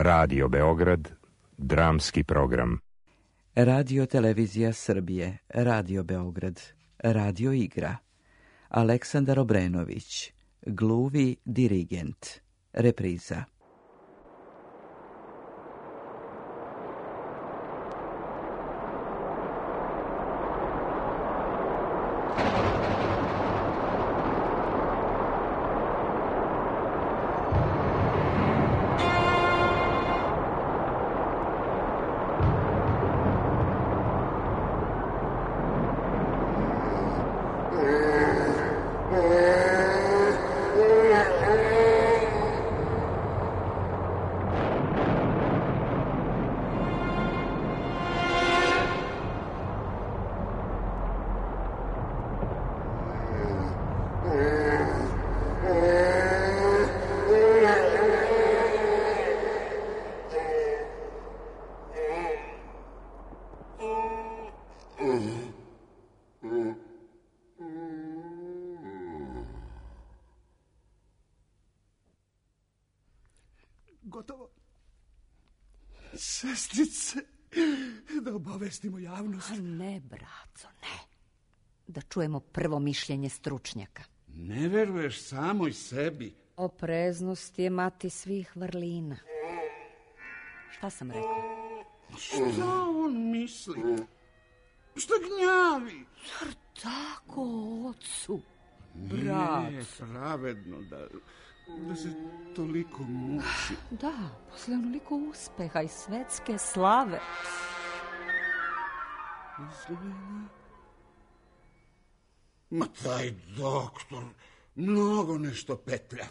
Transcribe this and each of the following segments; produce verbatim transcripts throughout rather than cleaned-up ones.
Radio Beograd, dramski program. Radio Televizija Srbije, Radio Beograd, Radio Igra. Aleksandar Obrenović, gluvi dirigent. Repriza. Gotovo. Sestrice, da obavestimo javnost. A ne, braco, ne. Da čujemo prvo mišljenje stručnjaka. Ne veruješ samoj sebi. Opreznost je mati svih vrlina. Šta sam rekla? Šta on misli? Šta gnjavi? Zar tako, ocu? Braco. Nije pravedno da... da se toliko muči. Da, posle onoliko uspeha i svetske slave. Izgleda. Ma taj doktor mnogo nešto petlja.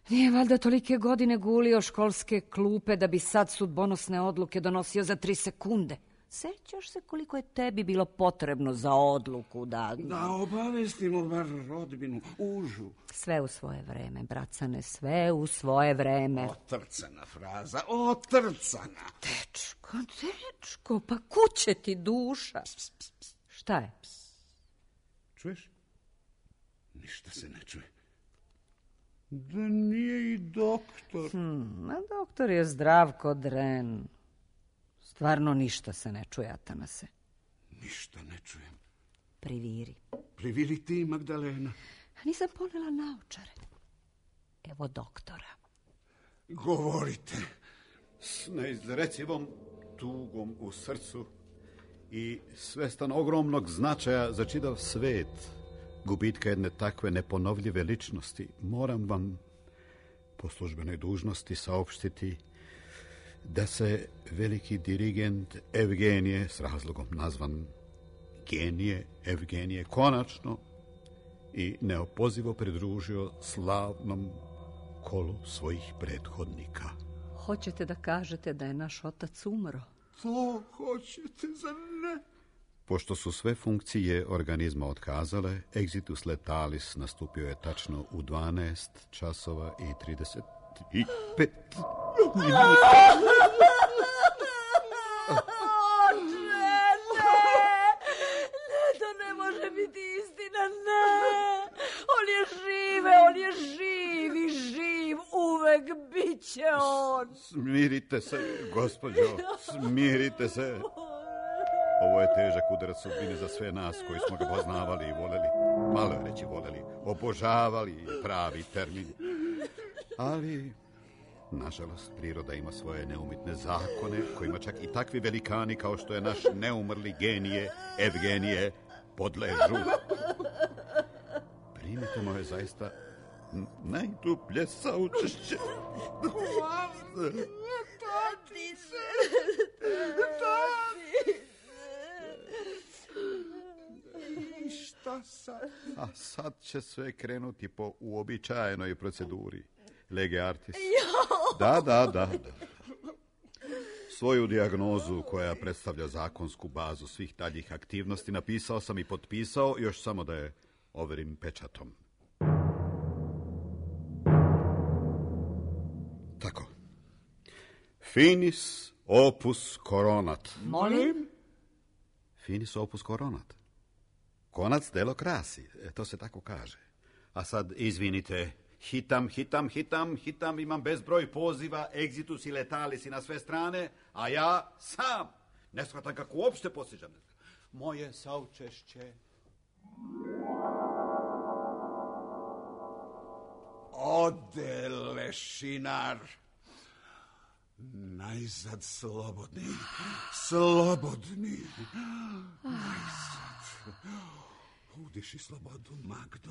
Nije valjda tolike godine gulio školske klupe da bi sad sudbonosne odluke donosio za tri sekunde. Sećaš se koliko je tebi bilo potrebno za odluku da... Da obavestimo bar rodbinu, užu. Sve u svoje vreme, bracane, sve u svoje vreme. Otrcana fraza, otrcana. Dečko, dečko, pa kuće ti duša. Ps, ps, ps. Šta je? Čuješ? Ništa se ne čuje. Da nije i doktor. Hmm, a doktor je zdrav ko dren. Stvarno ništa se ne čuje, Atanase. Ništa ne čujem. Priviri. Priviri ti, Magdalena. Nisam ponela naočare. Evo doktora. Govorite. S neizrecivom tugom u srcu i svestan ogromnog značaja za čitav svet, gubitka jedne takve neponovljive ličnosti, moram vam po službenoj dužnosti saopštiti da se veliki dirigent Evgenije, s razlogom nazvan genije Evgenije, konačno i neopozivo pridružio slavnom kolu svojih prethodnika. Hoćete da kažete da je naš otac umro? To hoćete, zar ne? Pošto su sve funkcije organizma otkazale, exitus letalis nastupio je tačno u dvanaest časova i trideset pet minuta. Oče, ne! Ne, to ne može biti istina, ne! On je žive, on je živ i živ, uvek bit će on. Smirite se, gospođo, smirite se. Ovo je težak udarac sudbine za sve nas koji smo ga poznavali i voleli. Malo je reći voleli, obožavali pravi termin. Ali, nažalost, priroda ima svoje neumitne zakone kojima čak i takvi velikani kao što je naš neumrli genije Evgenije podležu. Primite moje zaista najdublje saučešće. Tati se, I šta sad? A sad će sve krenuti po uobičajenoj proceduri. Lege artis. Da, da, da, da. Svoju dijagnozu koja predstavlja zakonsku bazu svih daljih aktivnosti napisao sam i potpisao, još samo da je overim pečatom. Tako. Finis opus coronat. Molim? Finis opus coronat. Konac delo krasi, to se tako kaže. A sad, izvinite, Hitam, hitam, hitam, hitam, imam bezbroj poziva, egzitus i letalis i na sve strane, a ja sam ne shvatam kako uopšte postižem. Moje saučešće. Ode lešinar. Najzad slobodni, slobodni. Najzad. Udiši slobodu, Magdo.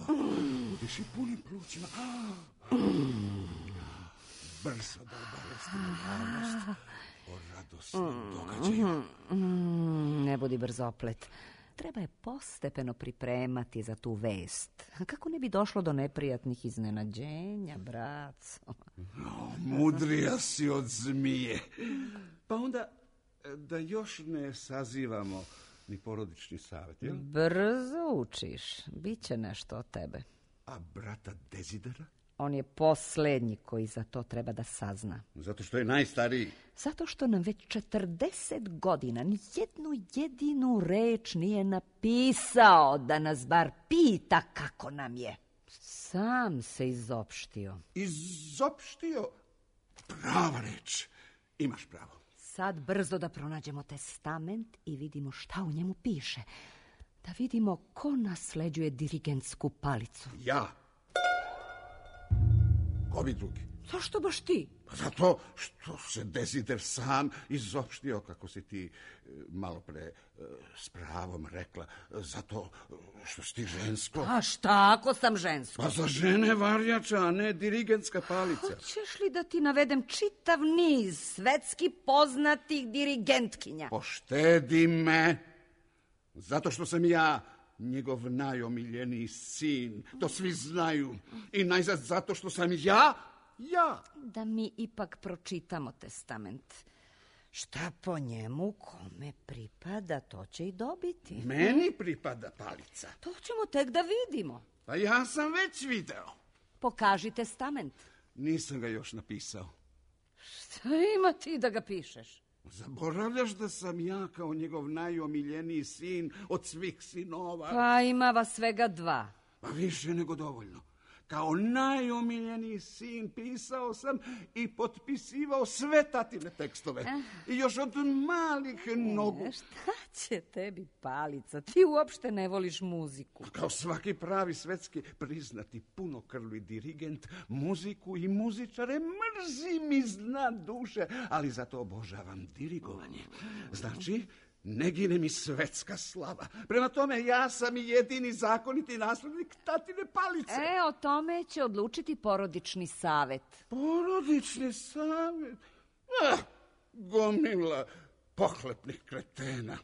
Udiši punim plućima. Brzo da obavestimo javnost o radosnim događajima. Ne budi brzoplet. Treba je postepeno pripremati za tu vest. Kako ne bi došlo do neprijatnih iznenađenja, braco? No, mudrija si od zmije. Pa onda da još ne sazivamo ni porodični savjet, jel? Brzo učiš. Biće nešto od tebe. A brata Dezidera? On je posljednji koji za to treba da sazna. Zato što je najstariji. Zato što nam već četrdeset godina ni jednu jedinu reč nije napisao da nas bar pita kako nam je. Sam se izopštio. Izopštio? Prava reč. Imaš pravo. Sad brzo da pronađemo testament i vidimo šta u njemu piše. Da vidimo ko nasleđuje dirigentsku palicu. Ja. Ko bi drugi? Zašto baš ti? Pa zato što se Dezider sam izopštio, kako si ti malo pre s pravom rekla, zato što si ti žensko. A šta ako sam žensko? Pa za žene varjača, a ne dirigentska palica. Hoćeš li da ti navedem čitav niz svetski poznatih dirigentkinja? Poštedi me, zato što sam ja njegov najomiljeniji sin, to svi znaju. I najzad zato što sam ja, ja. Da mi ipak pročitamo testament. Šta po njemu kome pripada, to će i dobiti. Meni pripada palica. To ćemo tek da vidimo. Pa ja sam već video. Pokaži testament. Nisam ga još napisao. Šta ima ti da ga pišeš? Zaboravljaš da sam ja kao njegov najomiljeniji sin od svih sinova? Pa ima vas svega dva. Pa više nego dovoljno. Kao najomiljeniji sin pisao sam i potpisivao sve tatine tekstove. I još od malih nogu. E, šta će tebi palica? Ti uopšte ne voliš muziku. Kao svaki pravi svetski priznati punokrvni dirigent, muziku i muzičare mrzim iz dna duše, ali zato obožavam dirigovanje. Znači, ne gine mi svetska slava. Prema tome, ja sam i jedini zakoniti naslednik tatine palice. E, o tome će odlučiti porodični savet. Porodični savet? Ah, gomila pohlepnih kretena.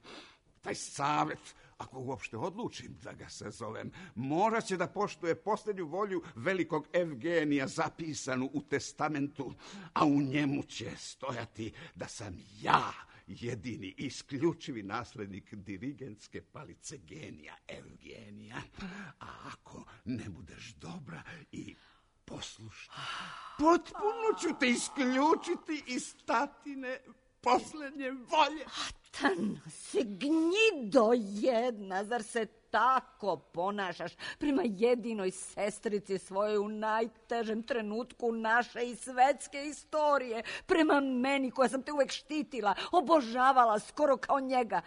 Taj savet, ako uopšte odlučim da ga sazovem, morat će da poštuje posljednju volju velikog Evgenija zapisanu u testamentu, a u njemu će stojati da sam ja jedini isključivi naslednik dirigentske palice genija Evgenija. A ako ne budeš dobra i poslušna, potpuno ću te isključiti iz tatine posljednje volje. Atan, si gnjido jedna, zar se tako ponašaš prema jedinoj sestrici svojoj u najtežem trenutku naše i svetske istorije, prema meni koja sam te uvek štitila, obožavala skoro kao njega.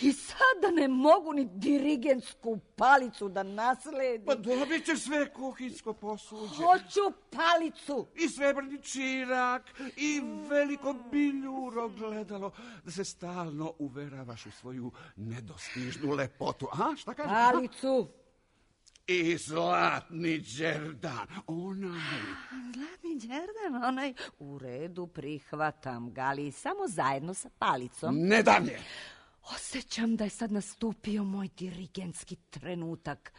I sada ne mogu ni dirigentsku palicu da nasledim. Pa dobit ćeš sve kuhinjsko posuđe. Hoću palicu. I srebrni čirak, i veliko biljuro gledalo, da se stalno uveravaš u svoju nedostižnu lepotu. A, šta kažeš? Palicu. I zlatni đerdan, onaj. Zlatni đerdan, onaj. U redu, prihvatam ga, ali samo zajedno sa palicom. Ne dam je. Osjećam da je sad nastupio moj dirigentski trenutak.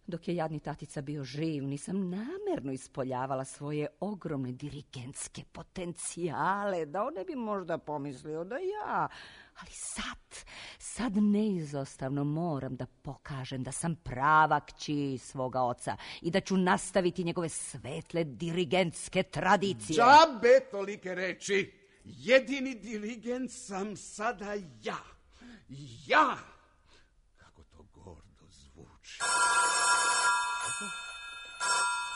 Dok je jadni tatica bio živ, nisam namerno ispoljavala svoje ogromne dirigentske potencijale, da on ne bi možda pomislio da ja. Ali sad, sad neizostavno moram da pokažem da sam prava kći svoga oca i da ću nastaviti njegove svetle dirigentske tradicije. Džabe tolike reči. Jedini dirigent sam sada ja. Ja! Kako to gordo zvuči.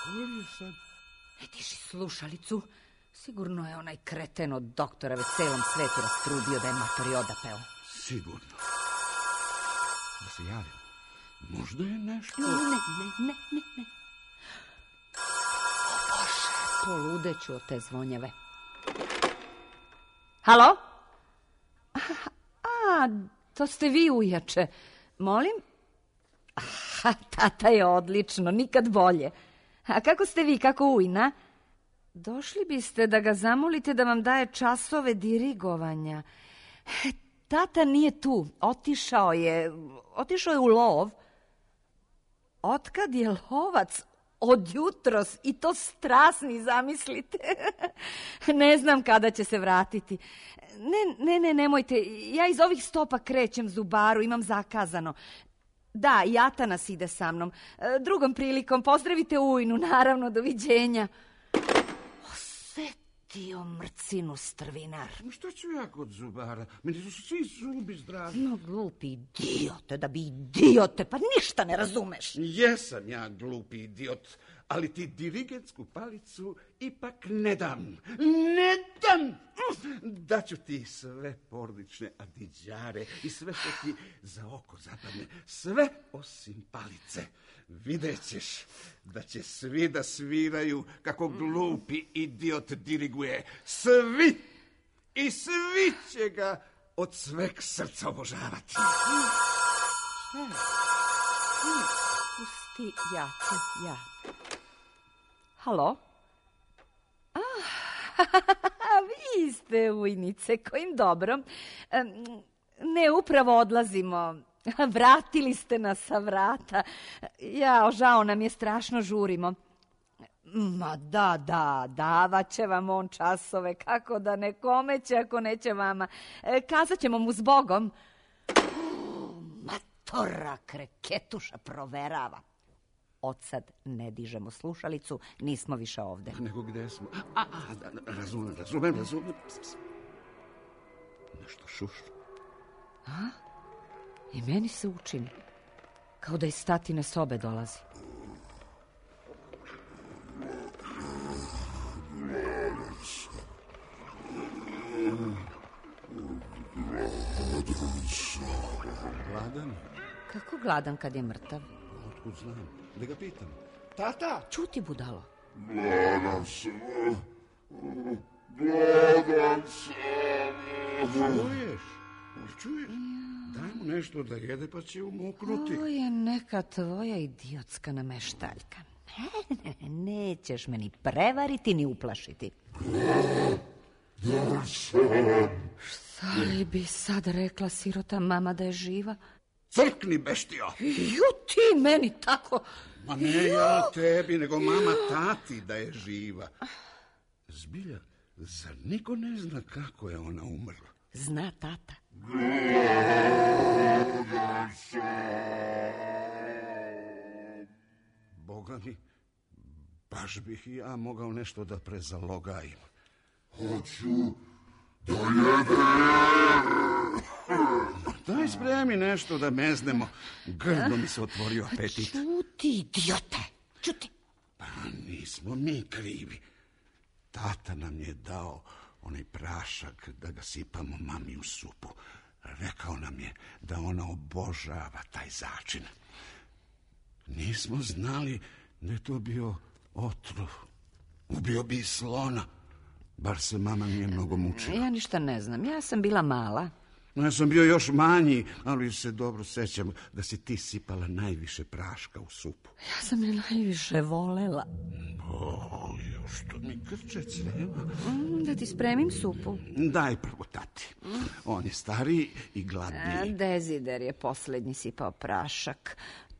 Ko je sad E, diži slušalicu. Sigurno je onaj kreten od doktora već celom svetu rastrudio da je matori odapeo. Sigurno. Da se javim. Možda je nešto... Ne, ne, ne, ne, ne. O Bože, poludeću od te zvonjave. Halo? A, a, to ste vi, ujače. Molim? Aha, tata je odlično, nikad bolje. A kako ste vi, kako ujna? Došli biste da ga zamolite da vam daje časove dirigovanja. Tata nije tu, otišao je, otišao je u lov. Otkad je lovac? Od jutros, i to strasni, zamislite. Ne znam kada će se vratiti. Ne, ne, ne, nemojte, ja iz ovih stopa krećem Zubaru, imam zakazano. Da, i Atanas ide sa mnom. Drugom prilikom, pozdravite ujnu, naravno, doviđenja. Osetio mrcinu strvinar. Što ću ja kod Zubara? Meni su svi zubi zdravi. No, glupi idiote, da bi idiote, pa ništa ne razumeš. Jesam ja glupi idiot, ali ti dirigentsku palicu ipak ne dam. Ne dam! Daću ti sve porodične adiđare i sve što ti za oko zapadne. Sve osim palice. Vidjet ćeš da će svi da sviraju kako glupi idiot diriguje. Svi! I svi će ga od sveg srca obožavati. Šta je? Pusti, ja ću, ja. Halo? A, vi ste, ujnice, kojim dobrom. Ne, upravo odlazimo. Vratili ste nas sa vrata. Ja, žao nam je, strašno žurimo. Ma da, da, davat će vam on časove, kako da ne, kome će ako neće vama. Kazat ćemo mu zbogom. Matora kreketuša proverava. Odsad ne dižemo slušalicu, nismo više ovde. Nego gde smo? A, a, da, razumem, razumem, razumem. Nešto šušu. A? I meni se učini, kao da iz tatine sobe dolazi. Gladan? Kako gladan kad je mrtav? Otkud znam? Da ga pitam. Tata! Ćuti, budalo. Gladan sam. Gladan sam. Čuješ? Čuješ? Daj mu nešto da jede pa će umoknuti. Ovo je neka tvoja idiotska nameštaljka. Ne, ne, nećeš me ni prevariti ni uplašiti. Gladan sam. Šta li bi sad rekla sirota mama da je živa? Crkni, beštio! Ju, ti meni tako... Ma ne ja tebi, nego mama tati da je živa. Zbilja, zar niko ne zna kako je ona umrla? Zna tata. Gladan sam. Boga mi, baš bih i ja mogao nešto da prezalogajim. Hoću da jedem. Daj spremi nešto da meznemo. Grdo mi se otvorio apetit. Ćuti, idiote, ćuti. Pa nismo mi krivi. Tata nam je dao onaj prašak da ga sipamo mami u supu. Rekao nam je da ona obožava taj začin. Nismo znali da je to bio otrov. Ubio bi i slona. Bar se mama nije mnogo mučila. Ja ništa ne znam, ja sam bila mala. Ja sam bio još manji, ali se dobro sećam da si ti sipala najviše praška u supu. Ja sam je najviše volela. O, još to mi krče creva. Mm, da ti spremim supu. Daj prvo tati. On je stariji i gladniji. Dezider je posljednji sipao prašak.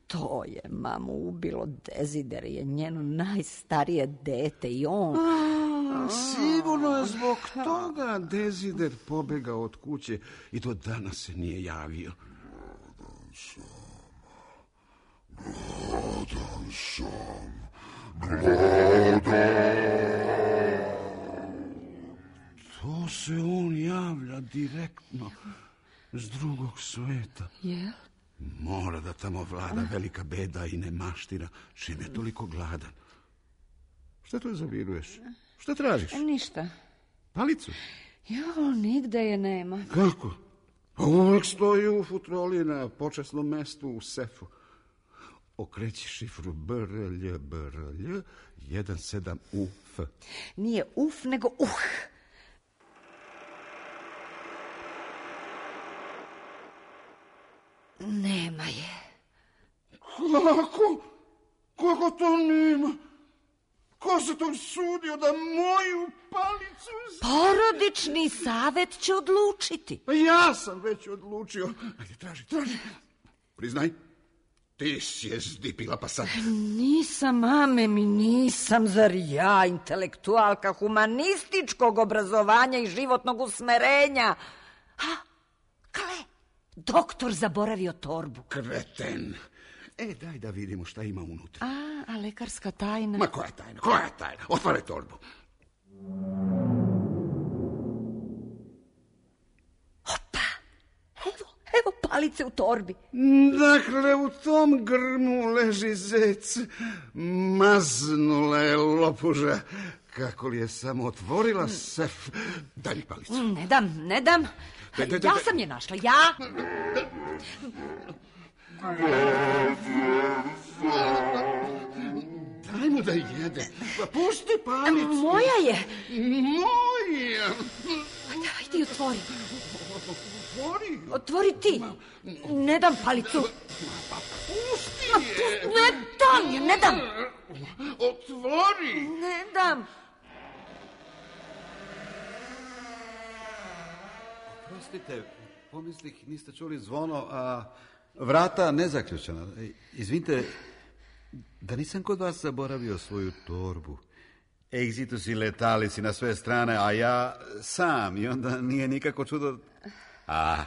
To je mamu ubilo. Dezider je njeno najstarije dete i on... A, sigurno je zbog toga Dezider pobegao od kuće i do danas se nije javio. Gladan sam. Gladan. To se on javlja direktno s drugog sveta. Jel? Mora da tamo vlada velika beda i nemaština, čim je toliko gladan. Šta to zaviruješ? Šta tražiš? Ništa. Palicu? Jo, nigde je nema. Kako? Uvijek stoji u futroli na počasnom mestu u sefu. Okreći šifru B R L B R L jedan sedam U F. Nije uf, nego uh. Nema je. Kako? Kako to nema? Ko se to sudio da moju palicu... Porodični savjet će odlučiti. Pa ja sam već odlučio. Ajde, traži, traži. Priznaj, ti si je zdipila pa sad. Nisam, mame mi, nisam, zar ja, intelektualka humanističkog obrazovanja i životnog usmerenja. Ha, kale, doktor zaboravio torbu. Kreten. E, daj da vidimo šta ima unutra. A, a lekarska tajna? Ma koja tajna, koja tajna? Otvaraj torbu. Opa, evo, evo palice u torbi. Dakle, u tom grmu leži zec. Maznula je lopuža. Kako li je samo otvorila sef. Daj mi palicu. Ne dam, ne dam. Daj, daj, daj, Ja daj. sam je našla, ja. Daj mu da jede. Pa pusti palicu. Moja je. Moja. Ajde, otvori. Otvori. Otvori ti. Ne dam palicu. Pusti je. Ne dam je, ne dam. Otvori. Ne dam. Prostite, pomislih, niste čuli zvono, a vrata nezaključena. Izvinite, da nisam kod vas zaboravio svoju torbu. Exitus i letalici na sve strane, a ja sam, i onda nije nikako čudo... A,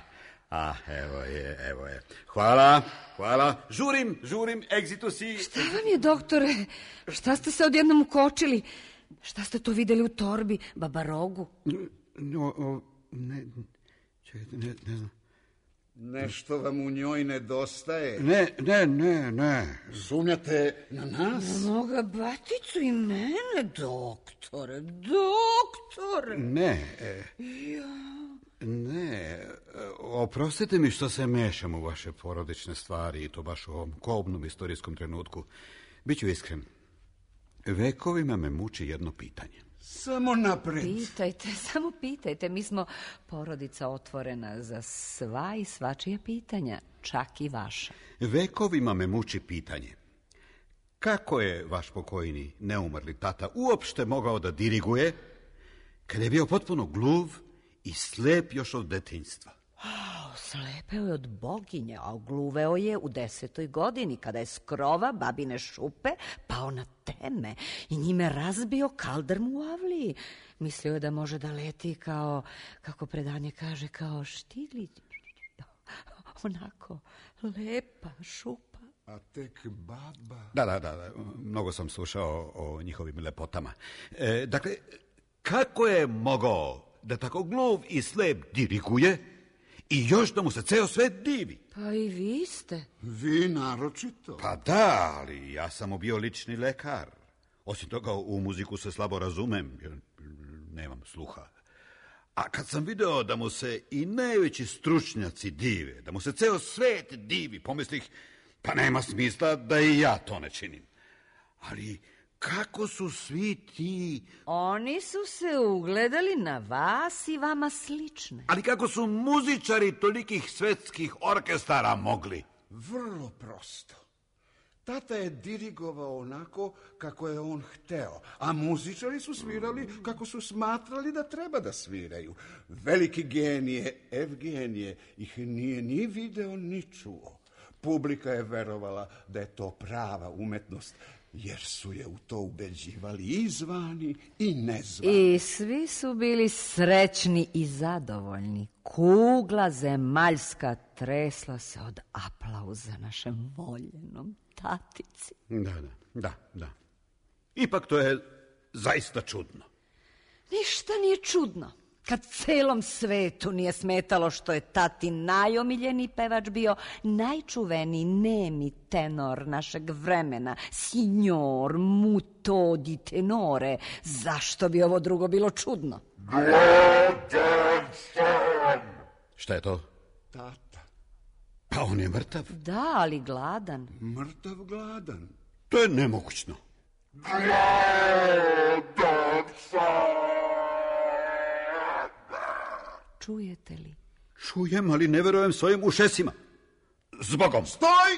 a, evo je, evo je. Hvala, hvala. Žurim, žurim, exitus i... Šta vam je, doktore? Šta ste se odjednom ukočili? Šta ste to vidjeli u torbi, babarogu? No, o, ne, čekajte, ne, ne znam. Nešto vam u njoj nedostaje. Ne, ne, ne, ne. Sumnjate na nas? Moga baticu i mene, doktore, doktore. Ne, e, ne, oprostite mi što se mešam u vaše porodične stvari i to baš u ovom kobnom istorijskom trenutku. Biću iskren, vekovima me muči jedno pitanje. Samo napred. Pitajte, samo pitajte. Mi smo porodica otvorena za sva i svačija pitanja, čak i vaša. Vekovima me muči pitanje. Kako je vaš pokojni, neumrli tata uopšte mogao da diriguje kada je bio potpuno gluv i slep još od detinjstva? Oh, slepeo je od boginje, a gluveo je u desetoj godini, kada je s krova babine šupe pao na teme i njime razbio kaldrmu u avliji. Mislio je da može da leti kao, kako predanje kaže, kao štiglić. Onako, lepa šupa. A tek baba... Da, da, da, da. Mnogo sam slušao o njihovim lepotama. E, dakle, kako je mogao da tako gluv i slep diriguje i još da mu se ceo svet divi? Pa i vi ste. Vi naročito. Pa da, ali ja sam mu bio lični lekar. Osim toga, u muziku se slabo razumem, jer nemam sluha. A kad sam video da mu se i najveći stručnjaci dive, da mu se ceo svet divi, pomislih, pa nema smisla da i ja to ne činim. Ali kako su svi ti... Oni su se ugledali na vas i vama slične. Ali kako su muzičari tolikih svetskih orkestara mogli? Vrlo prosto. Tata je dirigovao onako kako je on hteo, a muzičari su svirali kako su smatrali da treba da sviraju. Veliki genije, Evgenije, ih nije ni video ni čuo. Publika je verovala da je to prava umetnost, jer su je u to ubeđivali i zvani i nezvani. I svi su bili srećni i zadovoljni. Kugla zemaljska tresla se od aplauza našem voljenom tatici. Da, da, da, da. Ipak to je zaista čudno. Ništa nije čudno. Kad celom svetu nije smetalo što je tati najomiljeniji pevač bio najčuveniji nemi tenor našeg vremena, signor muto di tenore, zašto bi ovo drugo bilo čudno? Gladan sam. Šta je to? Tata. Pa on je mrtav. Da, ali gladan. Mrtav gladan. To je nemogućno. Gladan sam. Čujete li? Čujem, ali ne verujem svojim ušesima. Zbogom. Stoj!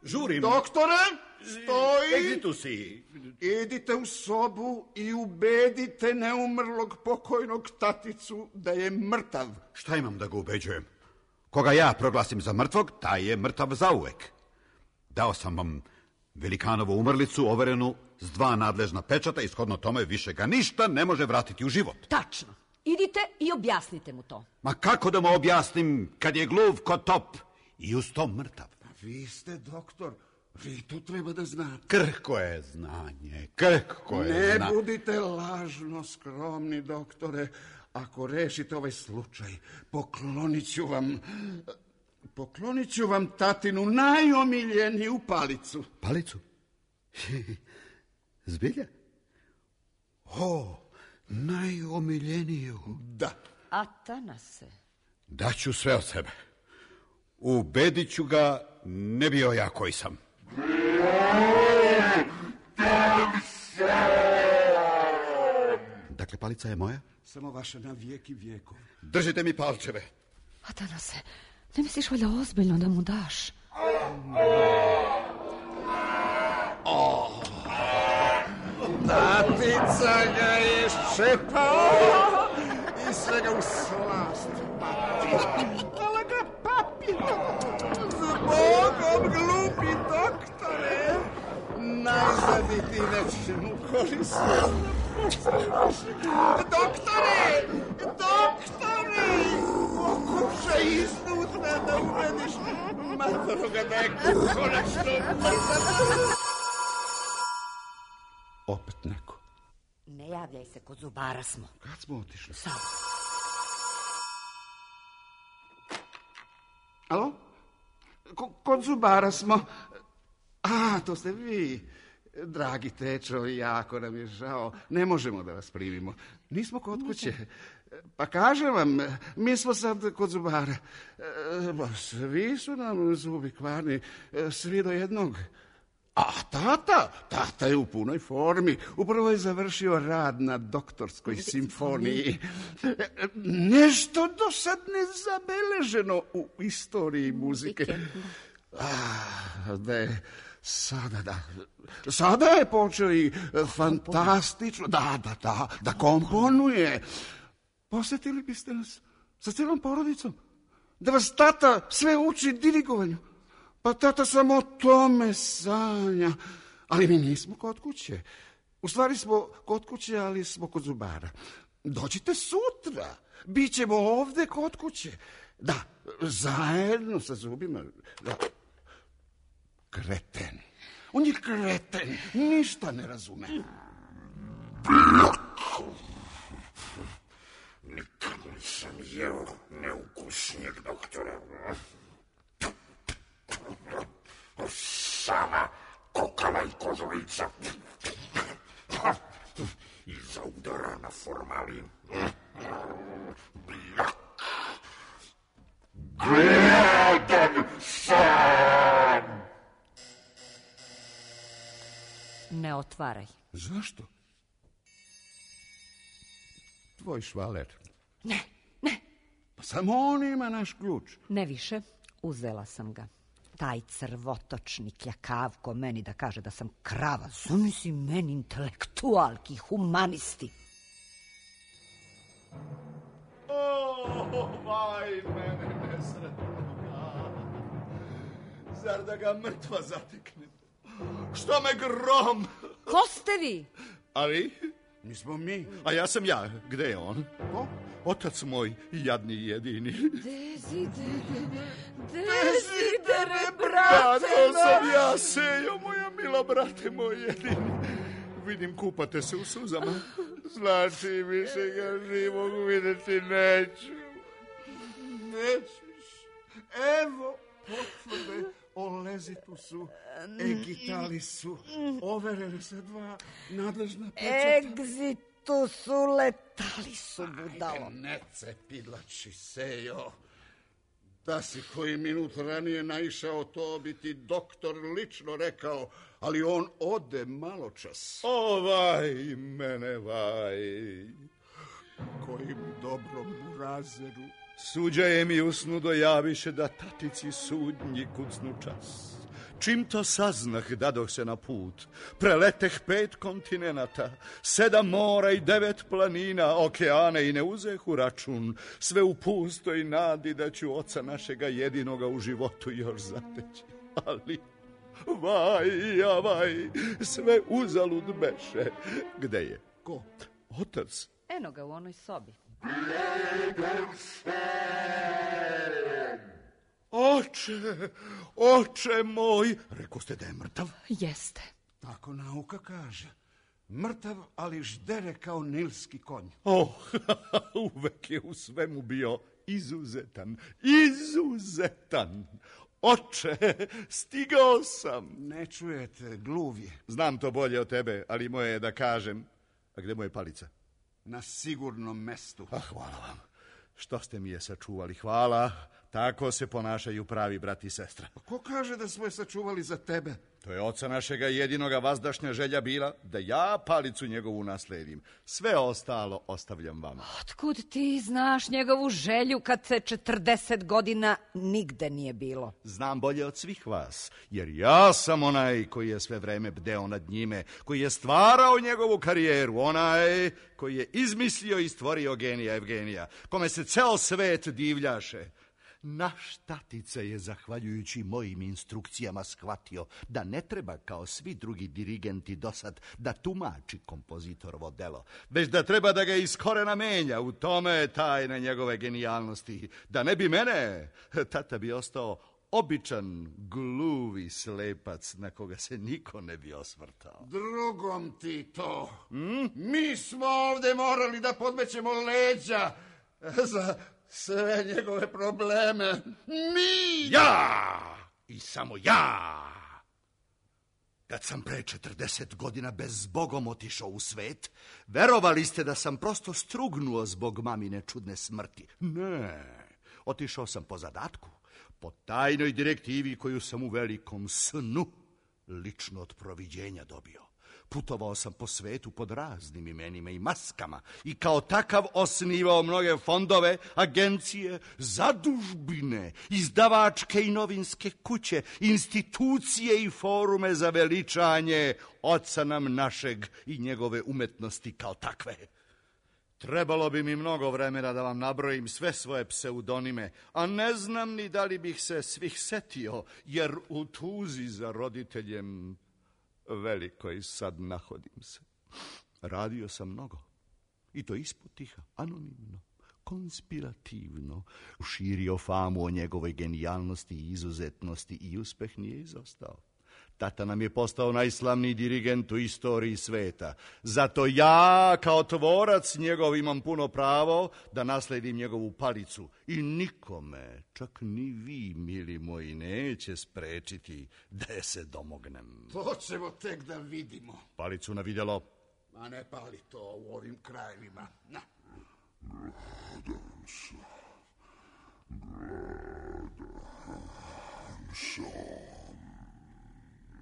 Žurim. Doktore, stoj! Gdje tu si? Idite u sobu i ubedite neumrlog pokojnog taticu da je mrtav. Šta imam da ga ubeđujem? Koga ja proglasim za mrtvog, taj je mrtav zauvek. Dao sam vam velikanovu umrlicu overenu s dva nadležna pečata i shodno tome više ga ništa ne može vratiti u život. Tačno. Idite i objasnite mu to. Ma kako da mu objasnim kad je gluv ko top i uz to mrtav? Vi ste doktor, vi to treba da znate. Krhko je znanje, krhko je Ne znanje. budite lažno skromni, doktore. Ako rešite ovaj slučaj, poklonit ću vam... Poklonit ću vam tatinu najomiljeniju palicu. Palicu? Zbilja? O, najomiljeniju. Da. Atanase. Daću sve od sebe. Ubedit ću ga, ne bio ja koji sam. Dakle, palica je moja? Samo vaša na vijek i vijekov. Držite mi palčeve. Atanase, ne misliš valjda ozbiljno da mu daš? Tatica ga je ščepao i sve ga u slast patio. Hvala ga papi. Zbogom, glupi doktore. Najzad i ti nečemu korisno. Doktore! Doktore! Pokušaj iznutra da ubediš matoroga da je konačno mrtav. Opet neko. Ne javljaj se, kod zubara smo. Kad smo otišli? Sad. Alo? Ko, kod zubara smo. A, to ste vi. Dragi tečo, jako nam je žao. Ne možemo da vas primimo. Nismo kod kuće. Pa kažem vam, mi smo sad kod zubara. Svi su nam zubi kvarni, svi do jednog. A tata, tata je u punoj formi. Upravo je završio rad na doktorskoj simfoniji. Nešto do sad nezabeleženo u istoriji muzike. A, da je sada, da. Sada je počeo i fantastično, da, da, da, da komponuje. Posjetili biste nas sa cijelom porodicom? Da vas tata sve uči dirigovanju? Pa tata samo o tome sanja. Ali mi nismo kod kuće. U stvari smo kod kuće, ali smo kod zubara. Dođite sutra. Bićemo ovde kod kuće. Da, zajedno sa zubima. Da. Kreten. On je kreten. Ništa ne razume. Nikad nisam jeo neukusnijeg, doktore. Sama kokala i kožulica. I zaudara na formalin. Bljak. Gladan sam. Ne otvaraj. Zašto? Tvoj švaler. Ne, ne. Pa samo on ima naš ključ. Ne više, uzela sam ga. Taj crvotočnik jakavko meni da kaže da sam krava. Zamisli meni intelektualki, humanisti. O, vaj, mene nesretno. Zar da ga mrtva zatekne? Što me grom? Ko ste vi? A vi? Nismo mi. A ja sam ja. Gde je on? Ko? Otac moj, jadni i jedini. Desidere, desidere, Da, brate to sam naš. ja, Sejo, moja mila brate moj jedini. Vidim, kupate se u suzama. Znači, više ga živog vidjeti neću. Nećeš. Evo potvrde o lezitusu, egitalisu. Overene se dva nadležna pečata. Egzitusu, letalisu, budalo. Ajde, ne cepilači se, jo. Da si koji minut ranije naišao, to bi ti doktor lično rekao, ali on ode malo čas. Ovaj mene vaj. Kojim dobrom burazeru. Suđaje mi usnu dojaviše da tatici sudnji kucnu čas. Čim to saznah, dadoh se na put. Preleteh pet kontinenata, sedam mora i devet planina, okeane i ne uzeh u račun. Sve u pustoj nadi da ću oca našega jedinoga u životu još zateći. Ali, vaj, ja vaj, sve uzalud beše. Gde je? Ko? Otac. Eno ga u onoj sobi. Oče, oče moj, reko ste da je mrtav? Jeste. Tako nauka kaže. Mrtav, ali ždere kao nilski konj. Oh, uvek je u svemu bio izuzetan, izuzetan. Oče, stigao sam. Ne čujete, gluv je. Znam to bolje od tebe, ali moje je da kažem. A gde mu je palica? Na sigurnom mestu. A hvala vam. Što ste mi je sačuvali, hvala. Tako se ponašaju pravi brat i sestra. Ko kaže da smo je sačuvali za tebe? To je oca našega jedinoga vazdašnja želja bila da ja palicu njegovu nasledim. Sve ostalo ostavljam vama. Otkud ti znaš njegovu želju kad se četrdeset godina nigde nije bilo? Znam bolje od svih vas, jer ja sam onaj koji je sve vreme bdeo nad njime, koji je stvarao njegovu karijeru, onaj koji je izmislio i stvorio genija Evgenija, kome se ceo svet divljaše. Naš tatica je, zahvaljujući mojim instrukcijama, shvatio da ne treba, kao svi drugi dirigenti dosad, da tumači kompozitorovo delo, već da treba da ga iz korena menja. U tome je tajna njegove genijalnosti. Da ne bi mene, tata bi ostao običan, gluvi slepac na koga se niko ne bi osvrtao. Drugom ti to. Hmm? Mi smo ovde morali da podmećemo leđa za sve njegove probleme. Mi! Ja! I samo ja! Kad sam pre četrdeset godina bezbogom otišao u svet, verovali ste da sam prosto strugnuo zbog mamine čudne smrti. Ne, otišao sam po zadatku, po tajnoj direktivi koju sam u velikom snu lično od proviđenja dobio. Putovao sam po svetu pod raznim imenima i maskama i kao takav osnivao mnoge fondove, agencije, zadužbine, izdavačke i novinske kuće, institucije i forume za veličanje oca nam našeg i njegove umetnosti kao takve. Trebalo bi mi mnogo vremena da vam nabrojim sve svoje pseudonime, a ne znam ni da li bih se svih setio, jer u tuzi za roditeljem velikoj sad nahodim se. Radio sam mnogo, i to ispod tiha, anonimno, konspirativno, širio famu o njegovoj genijalnosti i izuzetnosti i uspeh nije izostao. Tata nam je postao najslavniji dirigent u istoriji sveta. Zato ja, kao tvorac njegov, imam puno pravo da nasledim njegovu palicu. I nikome, čak ni vi, mili moji, neće sprečiti da je se domognem. To ćemo tek da vidimo. Palicu na vidjelo. Ma ne pali to u ovim krajevima. Na. Gledam se. Gledam se.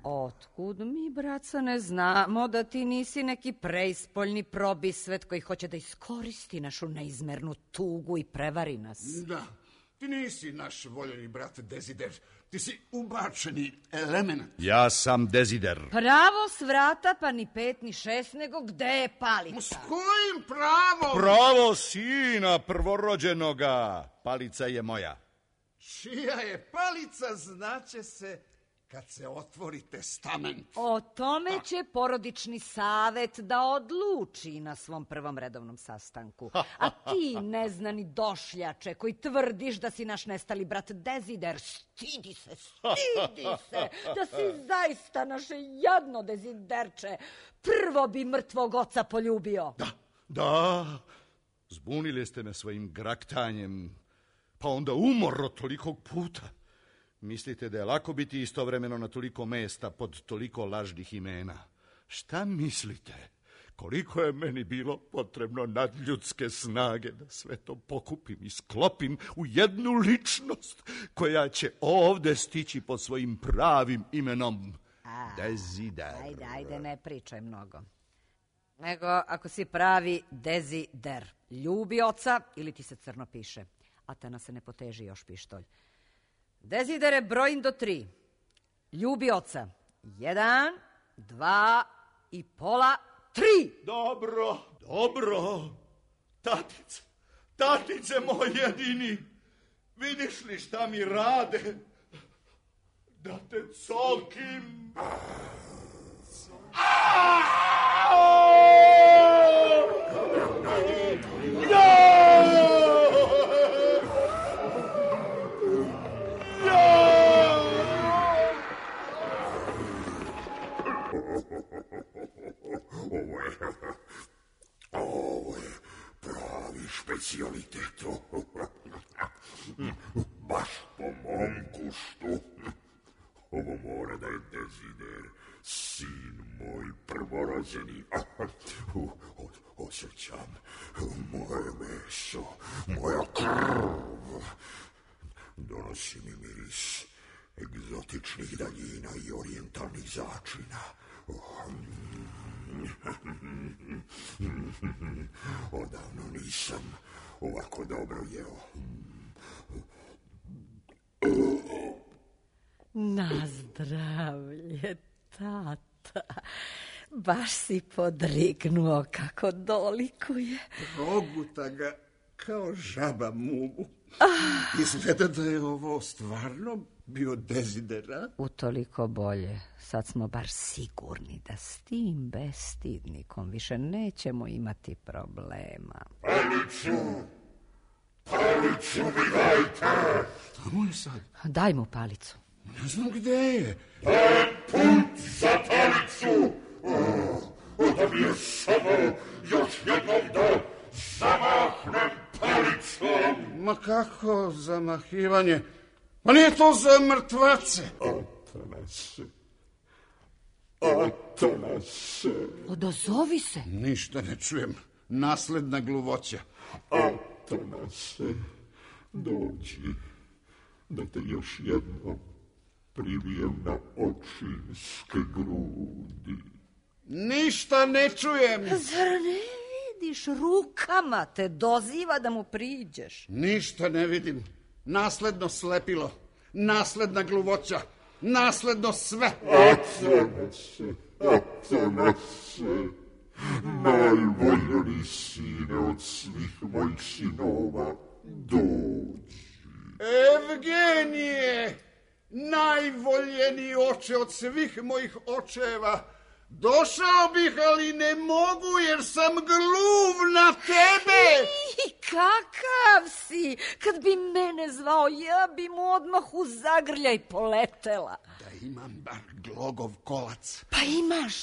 Otkud mi, braca, ne znamo da ti nisi neki preispoljni probisvet koji hoće da iskoristi našu neizmernu tugu i prevari nas? Da, ti nisi naš voljeni brat Dezider. Ti si ubačeni element. Ja sam Dezider. Pravo s vrata, pa ni pet ni šest, nego gde je palica? S kojim pravom? Pravo sina prvorođenoga. Palica je moja. Čija je palica, znaće se kad se otvori testament. O tome će porodični savet da odluči na svom prvom redovnom sastanku. A ti, neznani došljače, koji tvrdiš da si naš nestali brat Dezider, stidi se, stidi se, da si zaista naše jadno Deziderče. Prvo bi mrtvog oca poljubio. Da, Da, zbunili ste me svojim graktanjem, pa onda umor od tolikog puta. Mislite da je lako biti istovremeno na toliko mesta pod toliko lažnih imena? Šta mislite? Koliko je meni bilo potrebno nadljudske snage da sve to pokupim i sklopim u jednu ličnost koja će ovde stići pod svojim pravim imenom Dezider. Ajde, ajde, ne pričaj mnogo. Nego, ako si pravi Dezider, ljubi oca ili ti se crno piše. Atena se ne poteži još pištolj. Dezidere, brojim do tri. Ljubi oca. Jedan, dva i pola, tri. Dobro, dobro. Tatice, tatice moj jedini. Vidiš li šta mi rade? Da te cokim. Ovo je, ovo je pravi specialitet. Baš po mom guštu. Ovo mora da je Dezider, sin moj prvorođeni. Osjećam moje meso, moja krv. Donosi mi miris egzotičnih daljina i orijentalnih začina. Odavno nisam ovako dobro jeo. Na zdravlje, tata. Baš si podrignuo kako dolikuje. Proguta ga kao žaba mumu. Izgleda da je ovo stvarno bio Dezidera. Utoliko bolje. Sad smo bar sigurni da s tim bestidnikom više nećemo imati problema. Palicu! Palicu mi dajte! Šta mu je sad? Daj mu palicu. Ne znam gde je. Dajem put za palicu! Da mi je samo još jednom da zamahnem palicom! Ma kako zamahivanje? Ma nije to za mrtvace. Atanase, Atanase, Odozovi se. Ništa ne čujem. Nasledna gluvoća. Atanase, dođi da te još jednom privijem na očinske grudi. Ništa ne čujem. Zar ne vidiš, rukama te doziva da mu priđeš. Ništa ne vidim. Nasledno slepilo. Nasledna gluvoća. Nasledno sve. Atanase, Atanase, najvoljeni sine od svih mojih sinova, dođi. Evgenije, najvoljeniji oče od svih mojih očeva, došao bih, ali ne mogu jer sam gluv na tebe. I kakav si? Kad bi mene zvao, ja bi mu odmah u zagrljaj poletela. Da imam bar glogov kolac. Pa imaš.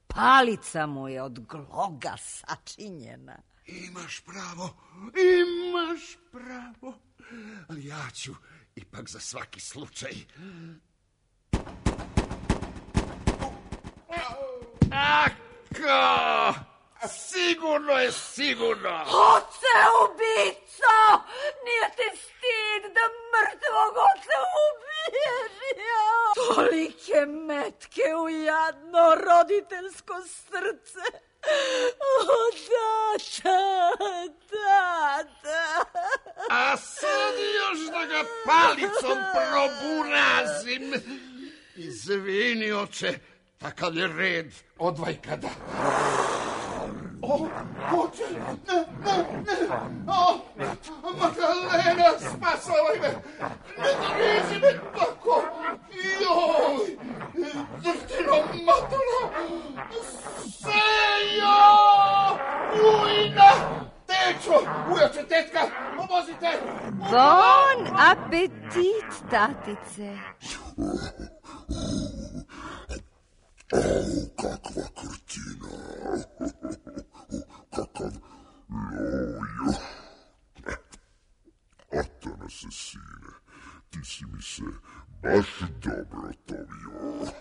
Palica mu je od gloga sačinjena. Imaš pravo, imaš pravo. Ali ja ću ipak za svaki slučaj. Ako! Sigurno je sigurno. Oce ubico! Nije ti stid da mrtvog oca ubiješ, ja? Tolike metke u jadno roditeljsko srce. O, tata, tata. A sad još da ga palicom proburazim. Izvini, oče, takav je red odvajkada. O, oče, ne, ne, ne, o, Magdalena, spasavaj me, ne drizi me tako, joj, drhtino matula, Sejo, ujna, tečo, ujače, tetka, pomozite. Bon apetit, tatice. Au, kakva krtina! Kakav ti si mi se baš dobro tovio.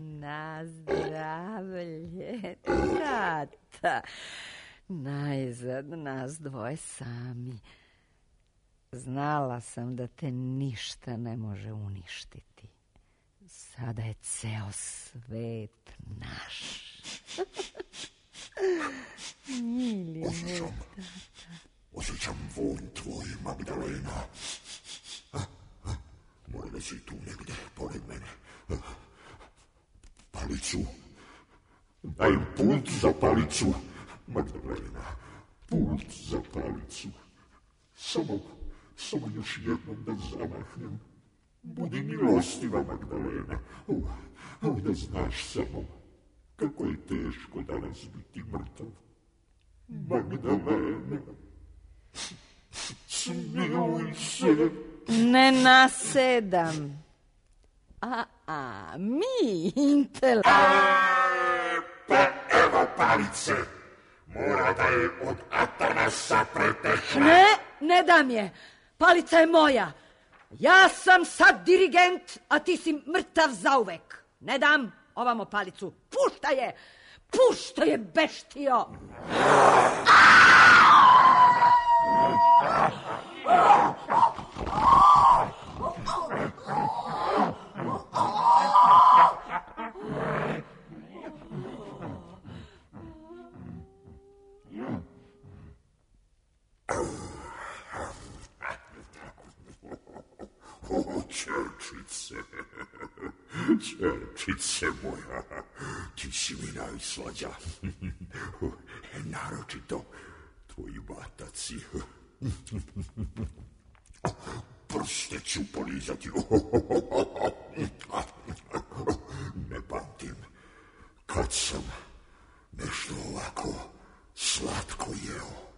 Na zdravlje, tata. Najzad nas dvoje sami. Znala sam da te ništa ne može uništiti. Sada je ceo svet naš. Mili moj tata. Osjećam vonj tvoj, Magdalena. A, a, mora da si tu negde, pored mene. A, palicu. Daj pult za palicu, Magdalena. Pult za palicu. Samo, samo još jednom da zamahnem. Budi milostiva, Magdalena. O, o, da znaš samo kako je teško danas biti mrtav. Magdalena. Smiluj se. Ne nasedam. A, a, mi, intel... Pa evo palice. Mora da je od Atanasa pretekla. Ne, ne dam je. Palica je moja. Ja sam sad dirigent, a ti si mrtav zauvek. Ne dam ovamo palicu. Pušta je. Pušta je, beštio. O, čerčice, čerčice moja, ti si mi najslađa. Naročito tvoji bataci. Prste ću polizati. Ne pamtim kad sam nešto ovako slatko jeo.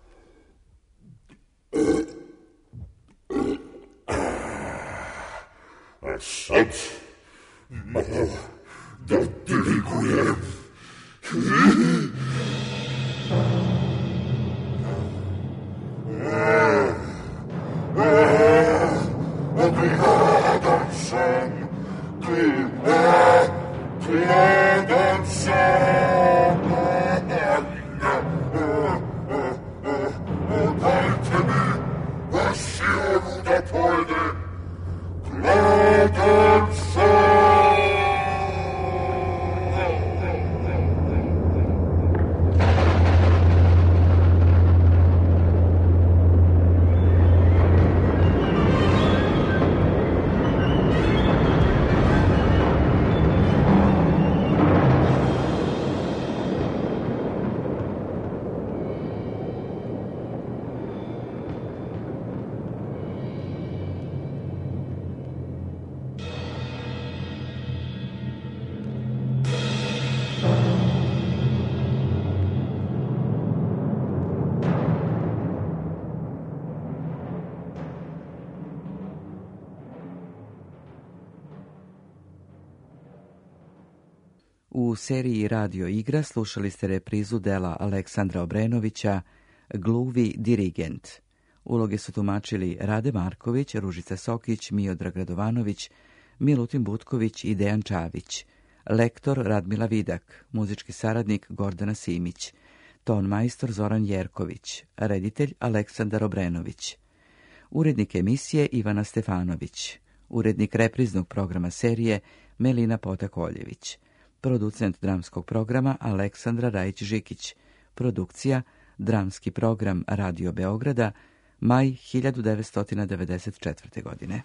A sad malo da dirigujem. Gladan sam, gladan sam. Dajte mi vasionu da pojedem. Gladan sam. U seriji Radio igra slušali ste reprizu dela Aleksandra Obrenovića Gluvi dirigent. Uloge su tumačili Rade Marković, Ružica Sokić, Miodrag Radovanović, Milutin Butković i Dejan Čavić. Lektor Radmila Vidak, muzički saradnik Gordana Simić, ton majstor Zoran Jerković, reditelj Aleksandar Obrenović. Urednik emisije Ivana Stefanović, urednik repriznog programa serije Melina Potakoljević, producent dramskog programa Aleksandra Rajić-Žikić, produkcija Dramski program Radio Beograda, maj hiljadu devetsto devedeset četvrte. godine.